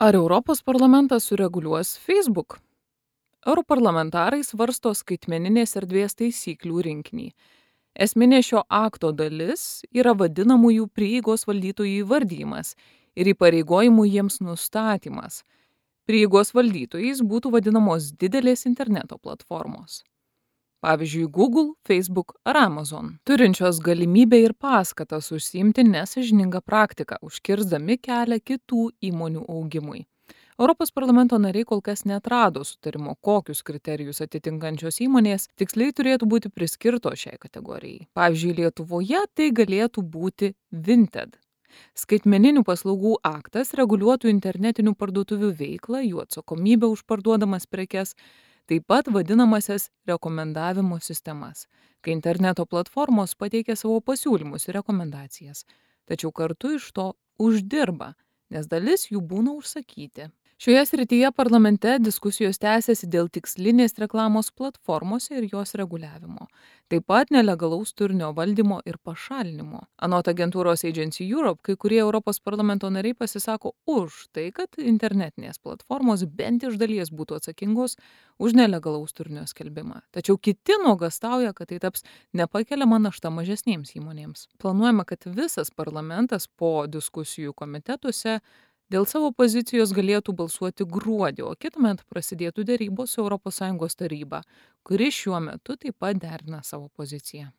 Ar Europos parlamentas sureguliuos Facebook? Europarlamentarai svarsto skaitmeninės erdvės taisyklių rinkinį. Esminė šio akto dalis yra vadinamųjų prieigos valdytojų įvardyjimas ir įpareigojimų jiems nustatymas. Prieigos valdytojais būtų vadinamos didelės interneto platformos. Pavyzdžiui, Google, Facebook ar Amazon, turinčios galimybę ir paskatas užsiimti nesąžiningą praktiką, užkirsdami kelią kitų įmonių augimui. Europos parlamento nariai kol kas neatrado sutarimo, kokius kriterijus atitinkančios įmonės tiksliai turėtų būti priskirtos šiai kategorijai. Pavyzdžiui, Lietuvoje tai galėtų būti Vinted. Skaitmeninių paslaugų aktas reguliuotų internetinių parduotuvių veiklą, jų atsakomybę už parduodamas prekes, taip pat vadinamasias rekomendavimo sistemas, kai interneto platformos pateikia savo pasiūlymus ir rekomendacijas, tačiau kartu iš to uždirba, nes dalis jų būna užsakyti. Šioje srityje parlamente diskusijos tęsiasi dėl tikslinės reklamos platformose ir jos reguliavimo, taip pat nelegalaus turinio valdymo ir pašalinimo. Anot agentūros Agency Europe, kai kurie Europos parlamento nariai pasisako už tai, kad internetinės platformos bent iš dalies būtų atsakingos už nelegalaus turinio skelbimą. Tačiau kiti nuogąstauja, kad tai taps nepakeliama našta mažesnėms įmonėms. Planuojama, kad visas parlamentas po diskusijų komitetuose dėl savo pozicijos galėtų balsuoti gruodį, o kitąmet prasidėtų derybos su ES taryba, kuri šiuo metu taip pat derina savo poziciją.